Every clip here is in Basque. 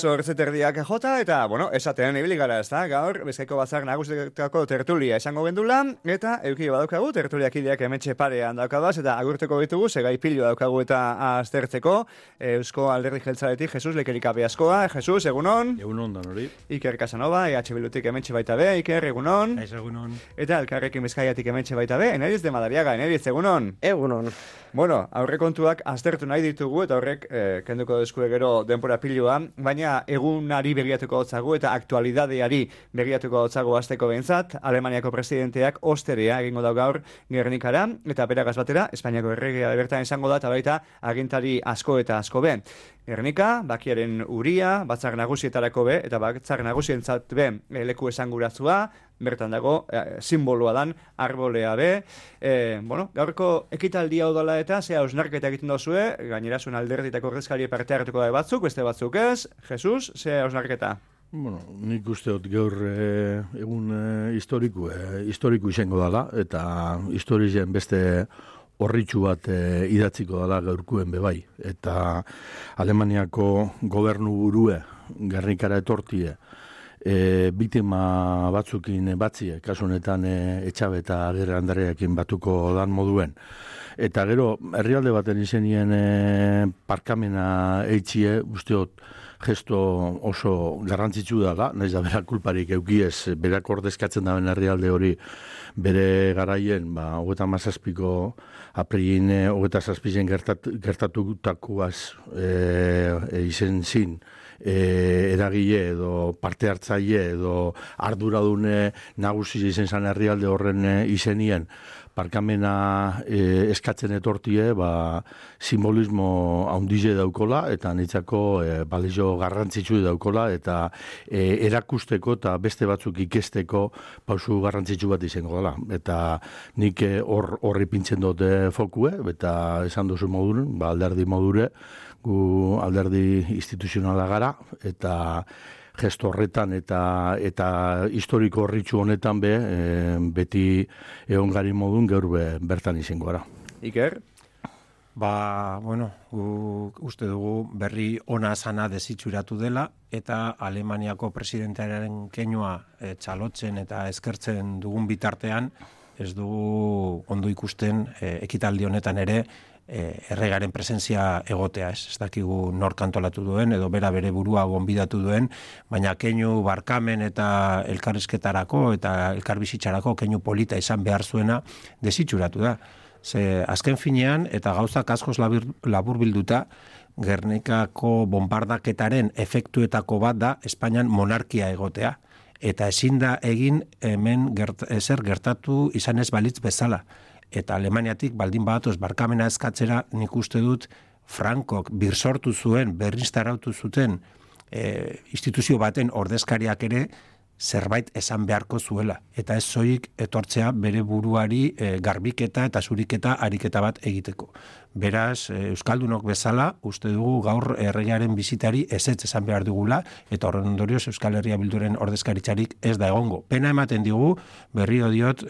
8:30 jota, eta, bueno, esatean ibili gara, ez da, gaur, Bizkaiko Batzar Nagusietako tertulia esango gendula, eta euki badaukagu, tertuliakideak hementxe parean daukagaz, eta agurteko ditugu, segai pilu daukagu eta aztertzeko, Eusko Alderdi Jeltzaletik, Jesus Lekerikabe askoa, Jesus, egunon? Egunon, dan hori. Iker Casanova, EH Bildutik hementxe baita be, Iker, egunon? Egunon. Eta Elkarrekin Bizkaiatik hementxe baita be, Eneriz de Madariaga, Eneriz, egunon? Egunon. Bueno, aurrekontuak aztertu nahi ditugu, eta horrek kenduko deskue gero denbora pilua, baina egunari begiratuko hotzagu eta aktualidadeari begiratuko hotzagu azteko behintzat, Alemaniako presidenteak osterea egingo dau gaur Gernikara, eta beragaz batera, Espainiako erregea bertan izango da, eta baita agintari asko eta asko be. Gernika, bakiaren uria, batzar nagusietarako be, eta batzar nagusientzat be leku esanguratzua, bertan dago, simboloa dan, arbolea be. Bueno, gaurko ekitaldia odala eta, zea osnarketa egiten dozue, gainera zuen alderditako ordezkari parte hartuko da batzuk, beste batzuk ez. Jesus, zea osnarketa? Bueno, nik usteot gaur egun historiku izango dela, eta historien beste horritxu bat idatziko dela gaurkuen bebai. Eta Alemaniako gobernu burue, Gernikara etortie, biktima batzukin batzie, kasu honetan Etxabe eta Agirre Andreakin batuko dan moduen. Eta gero, herrialde baten izenien parkamena eitxie, usteot, gesto oso garrantzitsu dela, nahiz da berak kulparik eukiez, berak ordezkatzen daben herrialde hori bere garaien, 37ko aprilin 27 gertatutakoaz izen zin, eragile edo parte hartzaile edo arduradune nagusi izen zan herrialde horren izenien parkamena eskatzen etortie, simbolismo handize daukola, eta nitzako balio garrantzitsu daukola, eta erakusteko eta beste batzuk ikesteko pausu garrantzitsu bat izango dela. Eta nik horri pintzen dute fokue, eta esan duzu modun, alderdi modure, gu alderdi instituzionala gara, eta gesto horretan eta historiko horritxu honetan beti egon gari modun gaur bertan izango gara. Iker? Bueno, uste dugu berri ona sana desitxuratu dela, eta Alemaniako presidentearen keinua txalotzen eta eskertzen dugun bitartean, ez dugu ondo ikusten ekitaldi honetan ere, erregaren presentzia egotea, ez dakigu nor kantolatu duen, edo bere burua gonbidatu duen, baina keinu barkamen eta elkarrizketarako eta elkarbizitzarako keinu polita izan behar zuena desitxuratu da. Ze azken finean, eta gauzak askoz labur bilduta, Gernikako bombardaketaren efektuetako bat da Espainian monarkia egotea. Eta ezin da egin hemen ezer gertatu izan ez balitz bezala. Eta Alemaniatik baldin badatoz barkamena eskatzera, nik uste dut Frankok birsortu zuen, berriztarautu zuten instituzio baten ordezkariak ere zerbait esan beharko zuela. Eta ez zoik etortzea bere buruari garbiketa eta zuriketa ariketa bat egiteko. Beraz, Euskaldunok bezala, uste dugu gaur erregearen bizitari ezetz esan behar dugula, eta horren ondorioz Euskal Herria Bilduren ordezkaritzarik ez da egongo. Pena ematen digu, berriro diot,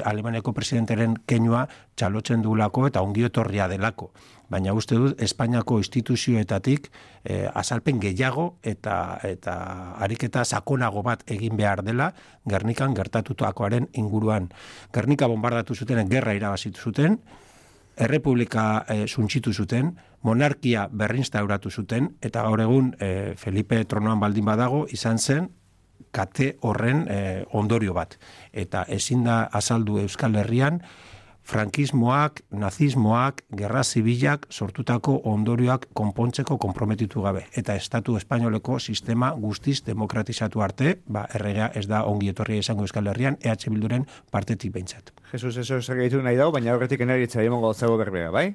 Alemaniako presidenteren keinua txalotzen dugulako eta ongi etorria delako. Baina uste dut, Espainiako instituzioetatik azalpen gehiago eta ariketa sakonago bat egin behar dela Gernikan gertatutakoaren inguruan. Gernika bombardatu zuten, gerra irabazitu zuten, errepublika suntxitu zuten, monarkia berrinstauratu zuten, eta gaur egun Felipe tronoan baldin badago izan zen kate horren ondorio bat. Eta ezin da azaldu Euskal Herrian frankismoak, nazismoak, gerra zibilak sortutako ondorioak konpontzeko konprometitu gabe. Eta Estatu Espainoleko sistema guztiz demokratizatu arte, erregea ez da ongi etorria izango Euskal Herrian, EH Bilduren partetik behintzat. Jesus, eso segitu nahi dago, baina horretik eneritza emongo zago berbea, bai?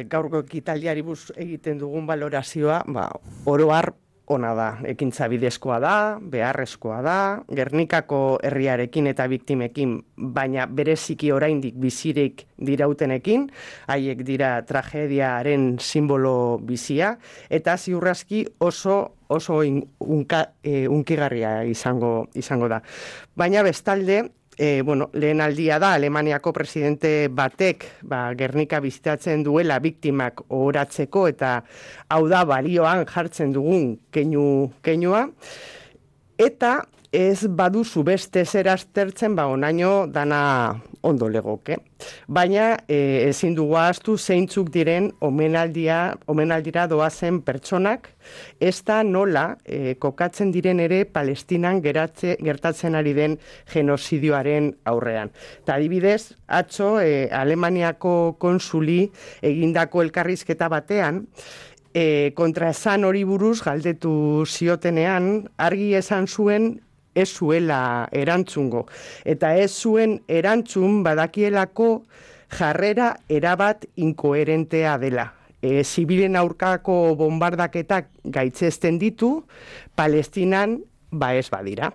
Gaurko ekitaldiari buz egiten dugun valorazioa, oro har ona da, ekintza bidezkoa da, beharrezkoa da, Gernikako herriarekin eta biktimekin, baina bereziki oraindik bizirik dirautenekin, haiek dira tragediaren simbolo bizia, eta ziurraski oso unkigarria izango da. Baina bestalde, lehen aldia da, Alemaniako presidente batek Gernika bizitatzen duela biktimak ohoratzeko, eta hau da balioan jartzen dugun keinua, eta ez baduzu beste zer aztertzen, onaino dana ondo legoke. Baina ezin dugu ahaztu zeintzuk diren omenaldira doazen pertsonak, ez da nola kokatzen diren ere Palestinan gertatzen ari den genozidioaren aurrean. Eta adibidez, atzo Alemaniako konsuli egindako elkarrizketa batean, kontraesan hori buruz galdetu ziotenean, argi esan zuen ez zuela erantzungo. Eta ez zuen erantzun badakielako jarrera erabat inkoherentea dela. Zibilen aurkako bombardaketak gaitzesten ditu, Palestinan ez badira.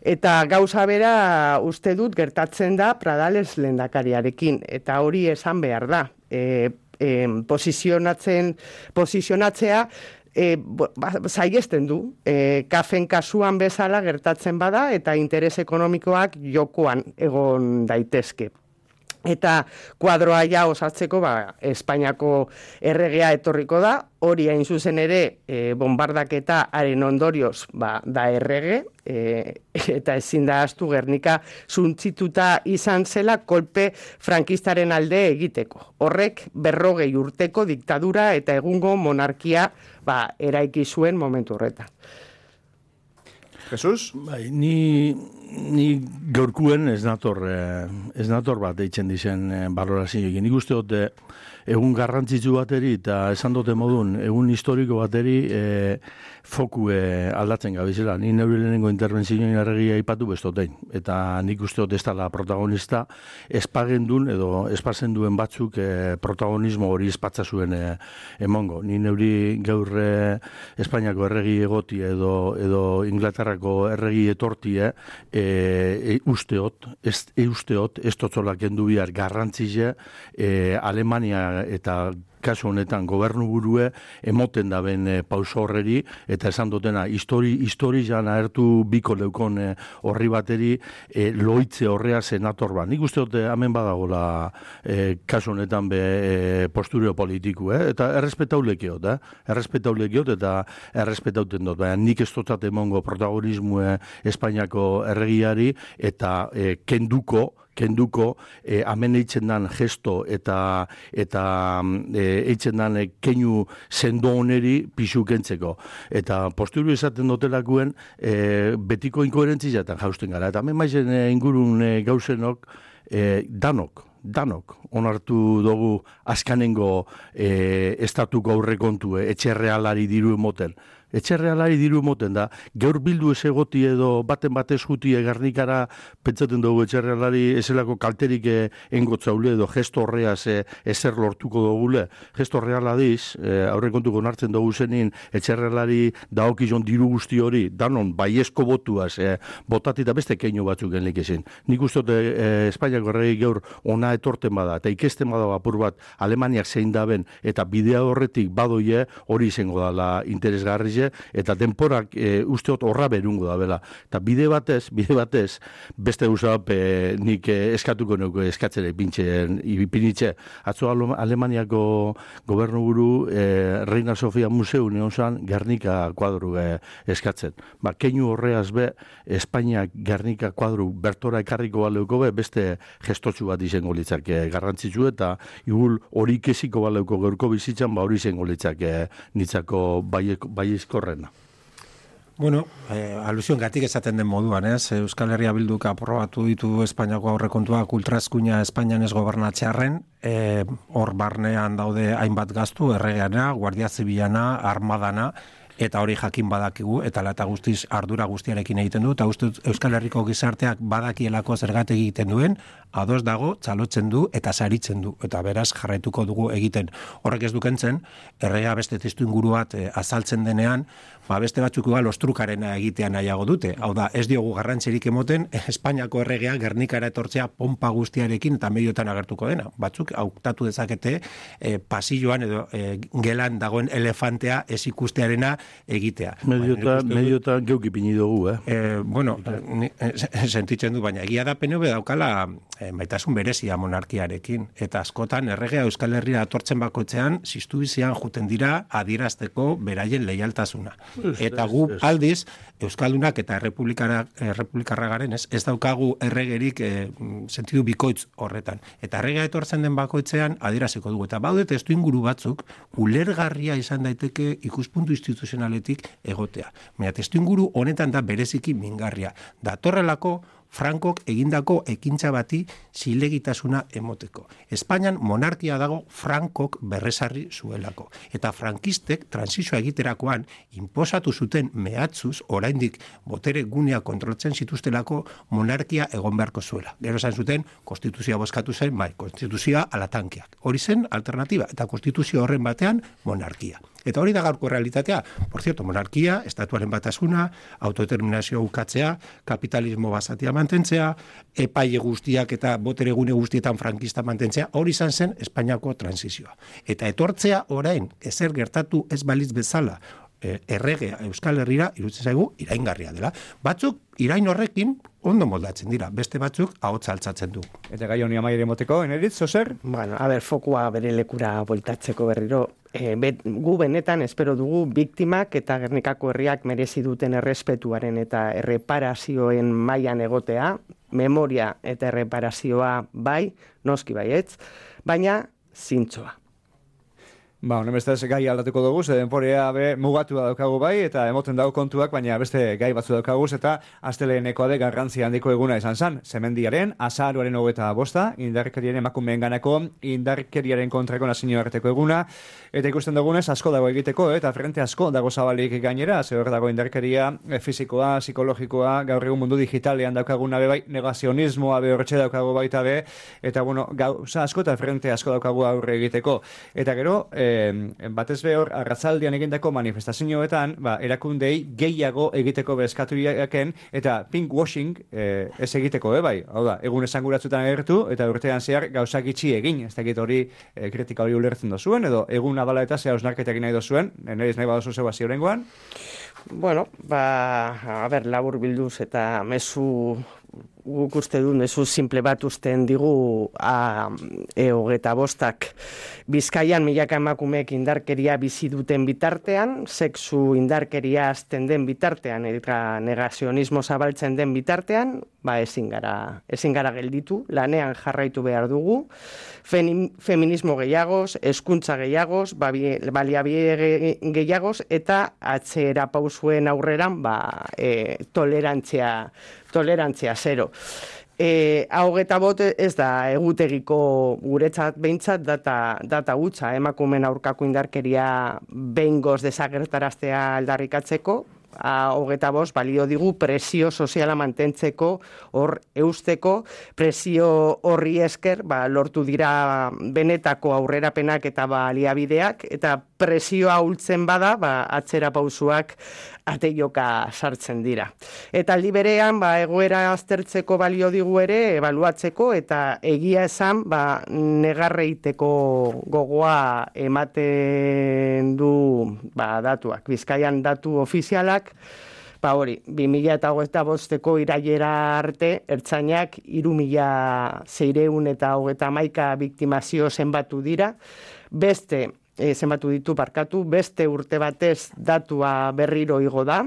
Eta gauza bera uste dut gertatzen da Pradales lehendakariarekin, eta hori esan behar da. Posizionatzea zaigesten du, kafen kasuan bezala gertatzen bada eta interes ekonomikoak jokoan egon daitezke. Eta kuadroa osatzeko Espainiako erregea etorriko da, hori hain zuzen ere bombardaketa haren ondorioz da errege, eta ezin da ahaztu Gernika suntzituta izan zela kolpe frankistaren alde egiteko. Horrek 40 urteko diktadura eta egungo monarkia eraiki zuen momentu horretan. Jesus? Ni gaurkuen ez nator bat deitzen dizen balorazioekin. Nik uste dut egun garrantzitsu bateri eta esan dute modun egun historiko bateri foku aldatzen gabizela. Ni neure lehenengo intervenzioen arregia ipatu bestotein. Eta nik uste dut ez dela protagonista espagendun edo espazenduen batzuk protagonismo hori espatza zuen emongo. Ni neuri gaur Espainiako erregi egoti edo Inglaterrako erregi etortie usteot, ez totzolak kendu bihar garrantzize Alemania eta kasu honetan gobernu burue emoten da ben pauso horreri eta esan dutena histori jana ertu biko leukon horri bateri loitze horrea senator bat. Nik uste dute hemen badagola kasu honetan postureo politiku, eta errespetaulekiot eta errespetauten dut, baina nik ez dotzat emongo protagonismo Espainiako erregiari eta kenduko hemen eitzen dan gesto eta eitzen dan keinu sendo honeri pixu kentzeko. Eta posturu esaten dotelakuen betiko inkoherentziatan jausten gara. Eta hemen maizen ingurun gauzenok danok onartu dugu azkanengo estatuko aurrekontu etxerrealari diru emoten. Etxerrealari diru emoten da, gaur bildu ez egoti edo baten batez juti Gernikara pentsaten dugu etxerrealari ezelako kalterik engotzaule edo gesto horreaz ezer lortuko dugule. Gesto horreala diz, aurrekontuko onartzen dugu zenin etxerrealari daokizon diru guzti hori, danon baiezko botuaz, botati eta beste keinu batzuk genlik ezin. Nik uste Espainiako erregi gaur ona etorten bada, eta ikesten bada apur bat Alemaniak zein daben, eta bidea horretik badoie hori izango dala interesgarri, eta denporak usteot horra berungo da bela. Eta bide batez, beste usap nik eskatuko nuke eskatzere ipinitxe. Atzo Alemaniako gobernuburu Reina Sofia Museu neonzan Gernika kuadru eskatzen. Keinu horreaz Espainiak Gernika kuadru bertora ekarriko baleuko beste gestotxu bat izango litzak garrantzitsu eta igul hori kesiko baleuko gaurko bizitzan hori izango litzak nitzako korrena. Bueno, alusioen gatik esaten den moduan, Euskal Herria Bilduk aprobatu ditu Espainiako aurrekontuak ultraeskuina Espainian ez gobernatzearren, hor barnean daude hainbat gastu, erregeana, Guardia Zibilana, Armadana, eta hori jakin badakigu, eta lata guztiz ardura guztiarekin egiten du, eta uste Euskal Herriko gizarteak badakielako zergatik egiten duen, ados dago, txalotzen du, eta saritzen du, eta beraz jarraituko dugu egiten. Horrek ez dukentzen, erregea beste testu inguru bat azaltzen denean, beste batzuk igual ostrukarena egitea nahiago dute. Hau da, ez diogu garrantzirik emoten, Espainiako erregea Gernikara etortzea pompa guztiarekin eta mediotan agertuko dena. Batzuk hautatu dezakete pasilloan edo gelan dagoen elefantea ez ikustearena egitea. Mediotan geukipini dugu, Bueno, sentitzen du, baina egia da PNV daukala maitasun berezia monarkiarekin, eta askotan erregea Euskal Herria atortzen bakoitzean, ziztu bizian juten dira adierazteko beraien leialtasuna. Eta gu aldiz, Euskaldunak eta errepublikarra garen, ez daukagu erregerik sentidu bikoitz horretan. Eta erregea etortzen den bakoitzean adieraziko dugu. Eta baude testu inguru batzuk, ulergarria izan daiteke ikuspuntu instituzionaletik egotea. Baina testu inguru honetan da bereziki mingarria. Datorrelako Frankok egindako ekintza bati zilegitasuna emoteko. Espainian monarkia dago Frankok berrezarri zuelako. Eta frankistek transizioa egiterakoan inposatu zuten mehatzuz oraindik botere gunea kontroltzen zituztelako monarkia egon beharko zuela. Gero esan zuten konstituzioa bozkatu zen, konstituzioa alatankeak. Hori zen alternatiba eta konstituzio horren batean monarkia. Eta hori da gaurko realitatea. Por cierto, monarkia, estatuaren batasuna, autodeterminazio ukatzea, kapitalismo basatia mantentzea, epaile guztiak eta botere gune guztietan frankista mantentzea, hori izan zen Espainiako transizioa. Eta etortzea orain, ezer gertatu ez baliz bezala, erregea Euskal Herrira iruditzen zaigu iraingarria dela. Batzuk irain horrekin ondo moldatzen dira, beste batzuk ahotsa altzatzen du. Eta gai honi amaiere moteko, Eneritz, Zoser? Bueno, fokua bere lekura bueltatzeko berriro. Gu benetan espero dugu biktimak eta Gernikako herriak merezi duten errespetuaren eta erreparazioen mailan egotea, memoria eta erreparazioa bai, noski baietz, baina zintzoa. Honen bestez gai aldatuko dugu, denporea mugatua daukagu bai, eta emoten dago kontuak, baina beste gai batzu daukaguz, eta asteleenekoa de garrantzia handiko eguna izan zen. Zemendiaren, azaroaren 25, indarkeriaren emakumeen ganako, indarkeriaren kontrako nazioarteko eguna, eta ikusten dugunez asko dago egiteko, eta frente asko dago zabalik gainera, hor dago indarkeria fisikoa, psikologikoa, gaur egun mundu digitalean daukaguna bai, negazionismoa horretxe daukagu baita eta gauza asko eta frente asko daukagu aurre egiteko. Eta gero, batez behor, arratzaldian egindako manifestazioetan, erakundei gehiago egiteko bezkatu jaken, eta pink washing ez egiteko, bai. Hau da, egun esanguratzutan agertu, eta urtean zehar gauzak itxi egin, ez dakit hori kritika hori ulertzen dozuen, edo egun abala eta zehar osnarketak nahi dozuen, nire nahi badozu zeu hasi horrengoan? Bueno, labur bilduz eta mezu guk uste du mezu simple bat usten digu 25 Bizkaian milaka emakumeek indarkeria bizi duten bitartean, sexu indarkeria azten den bitartean eta negazionismo zabaltzen den bitartean, ezin gara gelditu, lanean jarraitu behar dugu, feminismo gehiagoz, hezkuntza gehiagoz, baliabide gehiagoz eta atzera pausuen aurreran tolerantzia zero. 25 ez da egutegiko guretzat behintzat data hutsa, emakumeen aurkako indarkeria behingoz desagertaraztea aldarrikatzeko, 25 balio digu presio soziala mantentzeko, hor eusteko, presio horri esker lortu dira benetako aurrerapenak eta baliabideak, eta presioa ultzen bada, atzera pausuak ateioka sartzen dira. Eta aldi berean, egoera aztertzeko balio digu ere, ebaluatzeko, eta egia esan, negarreiteko gogoa ematen du datuak. Bizkaian datu ofizialak, hori, 2025ko irailera arte, ertzainak 3.631 biktimazio zenbatu dira, beste urte batez datua berriro igo da,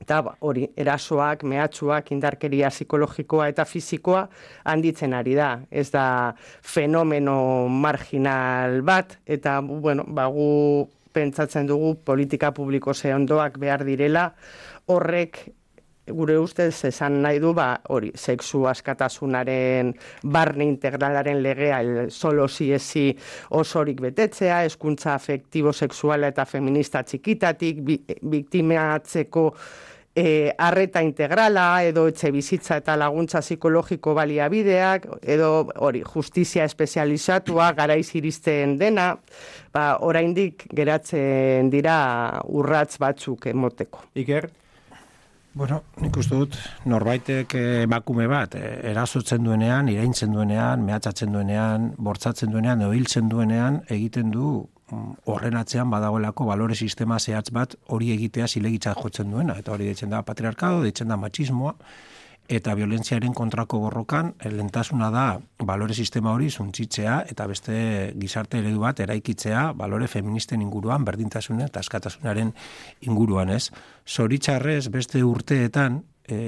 eta hori, erasoak, mehatxuak, indarkeria psikologikoa eta fisikoa handitzen ari da. Ez da fenomeno marginal bat, eta gu pentsatzen dugu politika publiko zehondoak behar direla, horrek gure ustez esan nahi du hori, sexu askatasunaren barne integralaren legea solo si ezi osorik betetzea, hezkuntza afektibo sexuala eta feminista txikitatik, biktimatzeko arreta integrala, edo etxe bizitza eta laguntza psikologiko baliabideak, edo hori, justizia espezializatua, garaiz iristen dena, oraindik geratzen dira urratz batzuk emoteko. Iker? Bueno, nik uste dut, norbaitek emakume bat, erasotzen duenean, iraintzen duenean, mehatxatzen duenean, bortzatzen duenean, edo hiltzen duenean, egiten du horren atzean badagoelako balore sistema zehatz bat hori egitea zilegitzat jotzen duena, eta hori deitzen da patriarkado, deitzen da machismoa, eta violentziaren kontrako borrokan lehentasuna da balore sistema hori suntsitzea eta beste gizarte eredu bat eraikitzea balore feministen inguruan, berdintasunen eta askatasunaren inguruan, ez? Zoritxarrez beste urteetan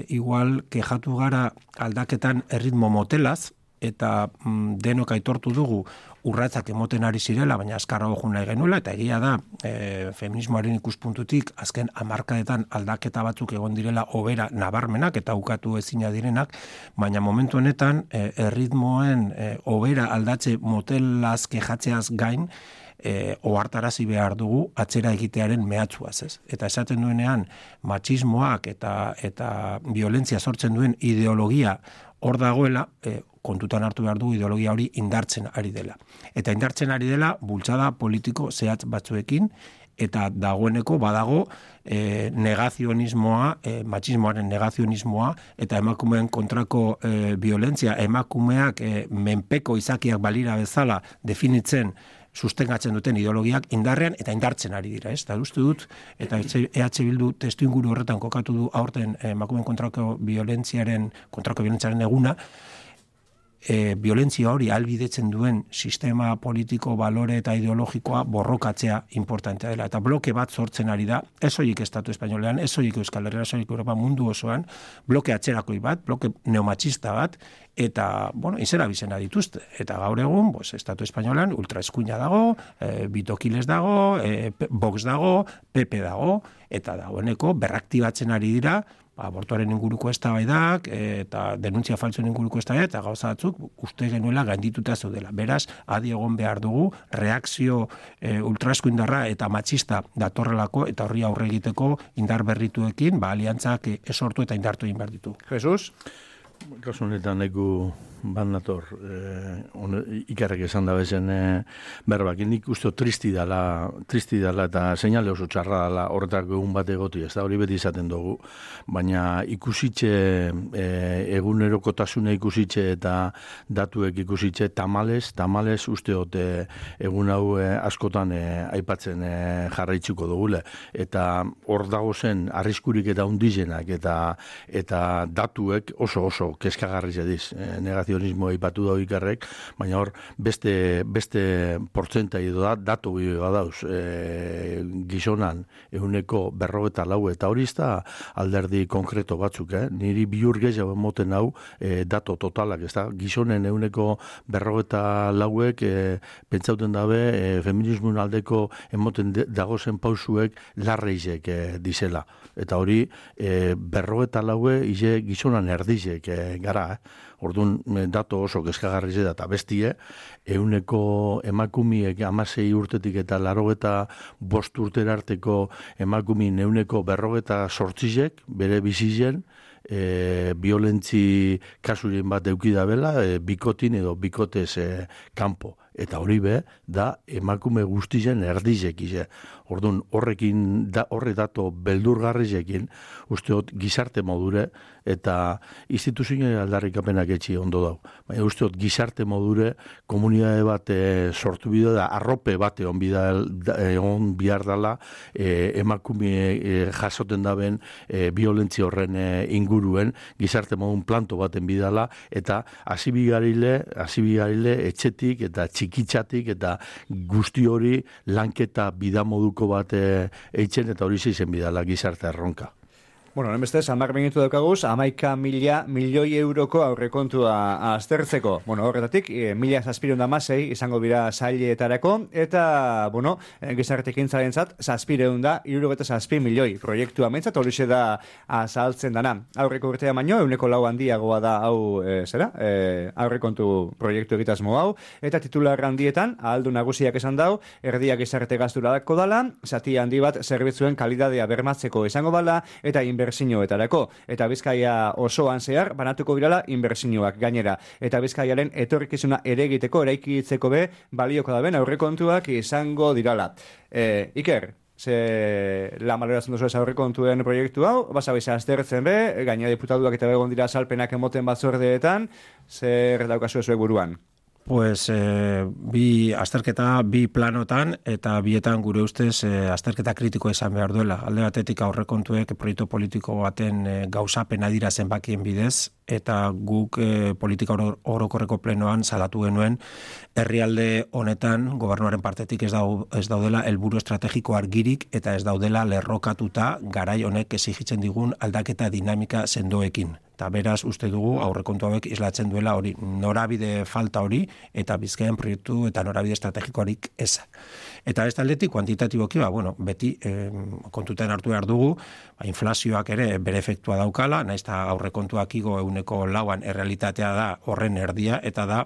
igual kexatu gara aldaketan erritmo motelaz, eta denok aitortu dugu urratsak emoten ari zirela, baina azkarrago joan nahi genuela, eta egia da feminismoaren ikuspuntutik azken hamarkadetan aldaketa batzuk egon direla hobera nabarmenak eta ukatu ezina direnak, baina momentu honetan erritmoen hobera aldatze motelaz kexatzeaz gain, ohartarazi behar dugu atzera egitearen mehatxuaz, ez? Eta esaten duenean machismoak eta violentzia sortzen duen ideologia hor dagoela, kontutan hartu behar dugu ideologia hori indartzen ari dela. Eta indartzen ari dela bultzada politiko zehatz batzuekin, eta dagoeneko badago negazionismoa, machismoaren negazionismoa, eta emakumeen kontrako violentzia, emakumeak menpeko izakiak balira bezala definitzen sustengatzen duten ideologiak indarrean eta indartzen ari dira, ez? Eta uste dut, eta EH Bildu testu inguru horretan kokatu du aurten emakumeen kontrako violentziaren eguna, violentzia hori ahalbidetzen duen sistema politiko, balore eta ideologikoa borrokatzea importantea dela. Eta bloke bat sortzen ari da, ez horiek Estatu Espainolean, ez horiek Euskal Herrian, ez horiek Europa mundu osoan, bloke atzerakoi bat, bloke neomachista bat, eta, izena bizena dituzte. Eta gaur egun, Estatu Espainolean ultraeskuina dago, Bitokiles dago, Vox dago, PP dago, eta dagoeneko berraktibatzen ari dira, abortuaren inguruko eztabaidak eta denuntzia faltsuen inguruko eztabaidak eta gauza batzuk uste genuela gaindituta zeudela. Beraz, adi egon behar dugu reakzio ultraeskuindarra eta machista datorrelako eta horri aurre egiteko indar berrituekin, aliantzak esortu eta indartu egin behar ditu. Jesus? Kasu honetan egu bat nator, ikarrek esan da bezen berbak, nik uste tristi dala eta seinale oso txarra dala horretako egun bat egoti, ez da hori beti izaten dugu, baina ikusitxe, egunerokotasuna ikusitxe eta datuek ikusitxe, tamales uste hote egun hau askotan aipatzen jarraitzuko dugule, eta hor dago zen arriskurik eta undizenak eta datuek oso kezkagarri zediz, negazionismo aipatu da ikarrek, baina hor beste portzentai da, datu badauz, gizonan ehuneko 54 eta hori da alderdi konkreto batzuk, niri biur gehiago emoten hau datu totalak, ez da, gizonen ehuneko 54ek pentsauten dabe feminismoen aldeko emoten dagozen pausuek larreizek dizela, eta hori 54 ize gizonan erdizek gara, orduan datu oso kezkagarri da eta bestie, ehuneko emakumiek 16 urtetik eta 85 urtera arteko emakumien ehuneko 58 bere bizizen, violentzi kasuren bat eukidabela, bikotin edo bikotez kanpo. Eta hori da emakume guztien erdizek ize. Orduan, horre dato beldurgarrizekin, usteot gizarte modure, eta instituzioen aldarrikapenak etxi ondo dau. Baina usteot gizarte modure, komunidade bat sortu bidea da, arrope bat egon bihar dala, emakume jasoten daben violentzi horren inguruen, gizarte modun planto baten bidala, eta hasibigarile etxetik eta txikitzatik eta guzti hori lanketa bidamoduko bat eitzen eta hori zeizen bidala gizarte erronka. Bueno, beste, 10 minutu daukaguz, 11.000 milioi euroko aurrekontua aztertzeko. Bueno, horretatik, 1.716 izango bira saileetarako, eta, gizartekin zarentzat, 767 milioi proiektua mentzat, hori da azaltzen dana. Aurreko urtea baino, 4 handiagoa da hau, aurrekontu proiektu egitasmo hau, eta titular handietan, ahaldu nagusiak esan dau, erdia gizarte gazturako dala, zati handi bat zerbitzuen kalidadea bermatzeko izango bala, eta inbertsioetarako, eta Bizkaia osoan zehar banatuko birala inbertsioak gainera, eta Bizkaiaren etorkizuna ere egiteko eraikitzeko balioko daben aurrekontuak izango dirala. Iker, la maloratzen duzu ez aurrekontuen proiektu hau, basabiza aztertzen gaina diputatuak eta begon dira salpenak emoten batzordeetan, zer daukazu ezuek buruan? Pues bi planotan eta bietan gure ustez azterketa kritikoa izan behar duela. Alde batetik aurrekontuek proiektu politiko baten gauzapena dira zenbakien bidez, eta guk politika orokorreko plenoan salatu genuen herrialde honetan gobernuaren partetik ez daudela helburu estrategiko argirik eta ez daudela lerrokatuta garai honek exigitzen digun aldaketa dinamika sendoekin. Eta beraz, uste dugu aurrekontu hauek islatzen duela hori, norabide falta hori, eta Bizkaian proiektu eta norabide estrategikoarik eza. Eta ez taldetik, kuantitatiboki, beti kontutan hartu behar dugu, inflazioak ere bere efektua daukala, naiz eta aurrekontuak igo 4% errealitatea da horren erdia, eta da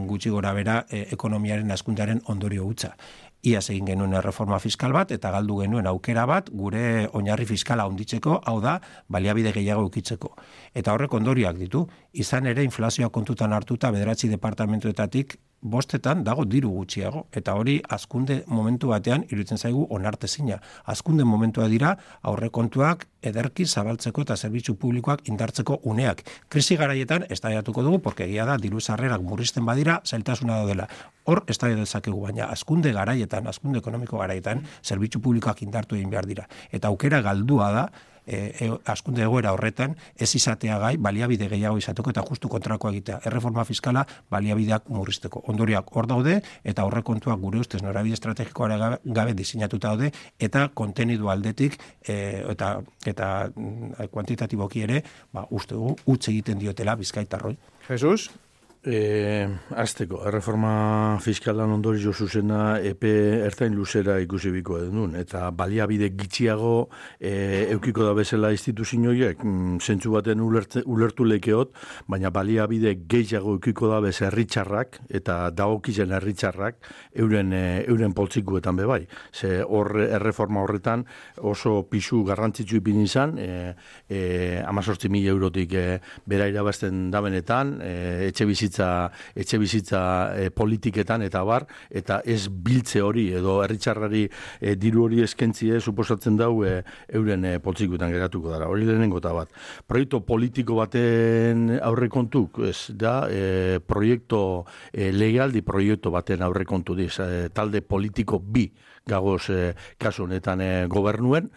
gutxi gora bera ekonomiaren hazkundearen ondorio hutsa. Iaz egin genuen reforma fiskal bat, eta galdu genuen aukera bat, gure oinarri fiskala handitzeko, hau da, baliabide gehiago ukitzeko. Eta horrek ondorioak ditu, izan ere inflazioa kontutan hartuta 9 departamentuetatik 5 dago diru gutxiago, eta hori hazkunde momentu batean iruditzen zaigu onartezina. Hazkunde momentua dira aurrekontuak ederki zabaltzeko eta zerbitzu publikoak indartzeko uneak. Krisi garaietan eztabaidatuko dugu, porque egia da diru sarrerak murrizten badira, zailtasuna daudela. Hor eztabaida dezakegu, baina hazkunde garaietan, hazkunde ekonomiko garaietan, zerbitzu publikoak indartu egin behar dira. Eta aukera galdua da, hazkunde egoera horretan ez izatea gai baliabide gehiago izateko eta justu kontrakoa egitea. Erreforma fiskala baliabideak murrizteko. Ondorioak hor daude eta aurrekontuak gure ustez norabide estrategikoa gabe diseinatuta daude eta kontenidu aldetik eta kuantitatiboki ere uste dugu utz egiten diotela bizkaitarroi. Jesus? Azteko, erreforma fiskalan ondorio zuzena epe ertain luzera ikusi biko edun, eta baliabide gitxiago eukiko da bezala instituzioiek, zentzu baten ulertu lekeot, baina baliabide gehiago eukiko da bez herritxarrak, eta dagokizen herritxarrak, euren poltsikuetan bebai. Ze erreforma horretan oso pisu garrantzitsu ipin izan, 18.000 eurotik bera irabazten dabenetan, etxe bizitza politiketan eta bar, eta ez biltze hori edo herritxarrari diru hori eskentzie suposatzen dau euren poltsikuetan geratuko dara. Hori lehenengo eta bat. Proiektu politiko baten aurrekontuk, ez da, legaldi proiektu baten aurrekontu diz, talde politiko bi gagoz kasu honetan gobernuen,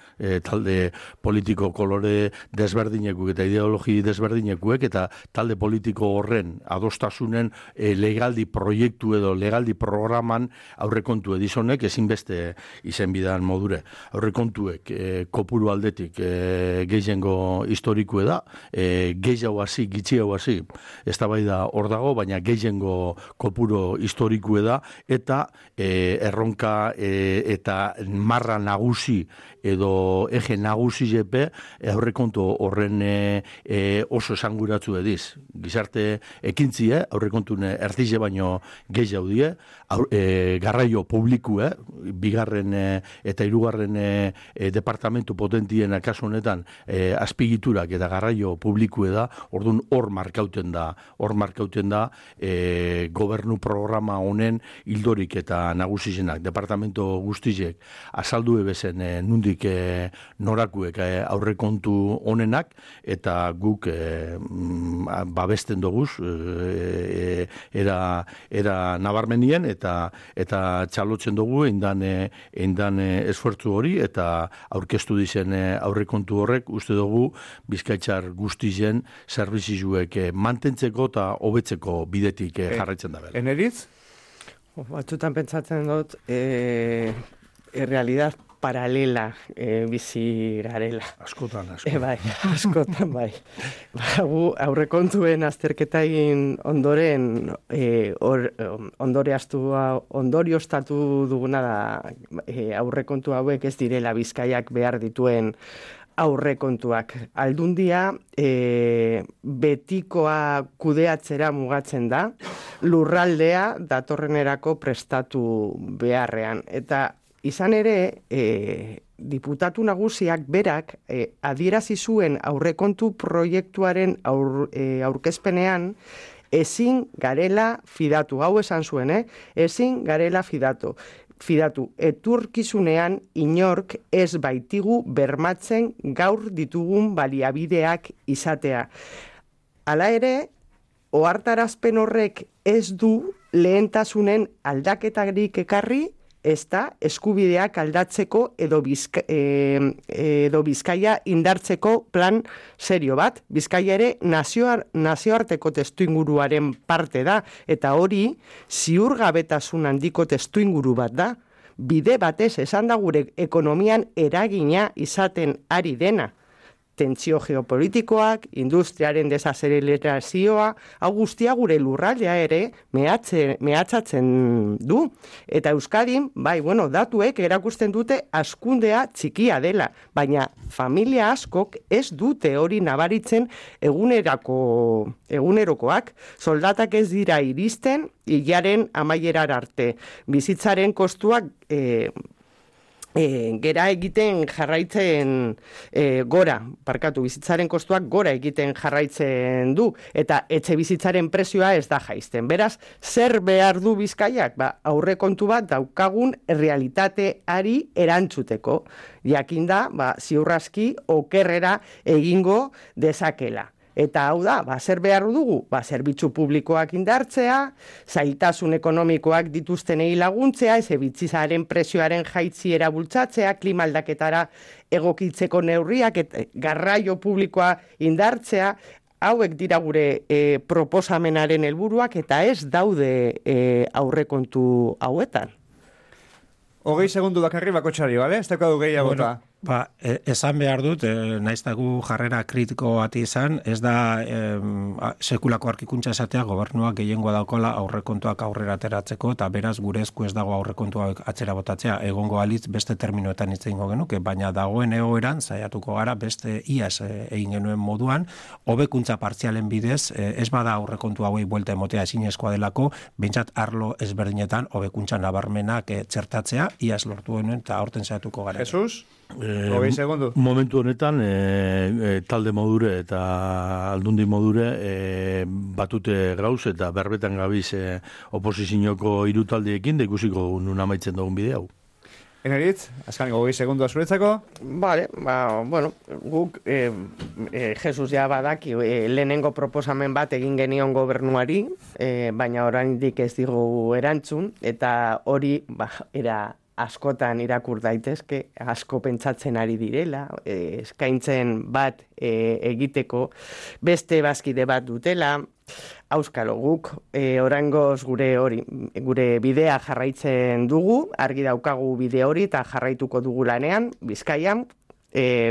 talde politiko kolore desberdinekuek eta ideologi desberdinekuek, eta talde politiko horren adostasunen legaldi proiektu edo legaldi programan aurrekontu edizonek ezinbeste izen bidan modure. Aurrekontuek kopuru aldetik gehiengo historikue da, gehiago hasi, gitxiago hasi, ez da bai da hor dago, baina gehiengo kopuru historikue da, eta erronka eta marra nagusi edo eje nagusi jepe aurrekontu horren oso esanguratzu ediz. Gizarte ekintzie, aurrekontune erdize baino gehiago die, garraio publikue, bigarren eta hirugarren departamentu potentien kasu honetan azpigiturak eta garraio publikue da, orduan hor markauten da gobernu programa honen ildorik eta nagusizenak, departamentu guztizek azaldu ebezen nundik norakuek aurrekontu honenak, eta guk babesten doguz era nabarmenien eta txalotzen dugu eindan esfuertzu hori, eta aurkeztu dizen aurrekontu horrek uste dugu Bizkaitzar guztizen zerbitzuek mantentzeko eta hobetzeko bidetik jarraitzen da bela. Eneritz? Batzutan pentsatzen dut realidad paralela bizi garela. Askotan. Bai, askotan, bai. Aurrekontuen azterketa egin ondoren ondorioztatu duguna da aurrekontu hauek ez direla Bizkaiak behar dituen aurrekontuak. Aldundia betikoa kudeatzera mugatzen da, lurraldea datorrenerako prestatu beharrean. Eta izan ere, diputatu nagusiak berak adierazi zuen aurrekontu proiektuaren aurkezpenean ezin garela fidatu. Hau esan zuen, ezin garela fidatu, etorkizunean inork ez baitigu bermatzen gaur ditugun baliabideak izatea. Hala ere, ohartarazpen horrek ez du lehentasunen aldaketarik ekarri, ez da eskubideak aldatzeko edo Bizkaia indartzeko plan serio bat. Bizkaia ere nazioarteko testuinguruaren parte da, eta hori ziurgabetasun handiko testuinguru bat da. Bide batez esan da gure ekonomian eragina izaten ari dena. Tentsio geopolitikoak, industriaren desazelerazioa, hau guztia gure lurraldea ere mehatxatzen du. Eta Euskadin, datuek erakusten dute hazkundea txikia dela, baina familia askok ez dute hori nabaritzen egunerokoak. Soldatak ez dira iristen hilaren amaierar arte. Bizitzaren kostuak gera egiten jarraitzen bizitzaren kostuak gora egiten jarraitzen du, eta etxe bizitzaren prezioa ez da jaisten. Beraz, zer behar du Bizkaiak? Aurrekontu bat daukagun realitateari erantzuteko. Jakinda, ziurraski okerrera egingo dezakela. Eta hau da, zer behar dugu? Zerbitzu publikoak indartzea, zailtasun ekonomikoak dituztenei laguntzea, bizitzaren prezioaren jaitziera bultzatzea, klima aldaketara egokitzeko neurriak, garraio publikoa indartzea, hauek dira gure proposamenaren helburuak eta ez daude aurrekontu hauetan. 20 segundu bakarri bakotxari, bale? Ez dakadu gehiagota. Esan behar dut, naiztagu jarrera kritiko bati izan, ez da sekulako arkikuntza esatea gobernuak gehiengoa daukola aurrekontuak aurrera ateratzeko, eta beraz gure esku ez dago aurrekontuak atzera botatzea, egongo alitz beste terminoetan hitz egingo genuke, baina dagoen egoeran saiatuko gara beste iaz egin genuen moduan, hobekuntza partzialen bidez, ez bada aurrekontu hauei buelta emotea ezinezkoa delako, behintzat arlo ezberdinetan hobekuntza nabarmenak txertatzea, iaz lortu genuen eta aurten saiatuko gara. Jesus? 20 segundu. Momentu honetan talde modure eta aldundi modure batute gauz eta berbetan gabiz oposizioko hiru taldiekin da ikusiko nun amaitzen dugun bide hau. Eneritz, azkaniko 20 segundu azuretzako? Vale, guk Jesus ja badaki lehenengo proposamen bat egin genion gobernuari, baina oraindik ez digu erantzun, eta hori era askotan irakur daitezke, asko pentsatzen ari direla, eskaintzen bat egiteko, beste bazkide bat dutela, auskalo guk, oraingoz gure bidea jarraitzen dugu, argi daukagu bide hori eta jarraituko dugu lanean, Bizkaian,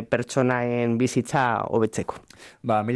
pertsonaen bizitza hobetzeko.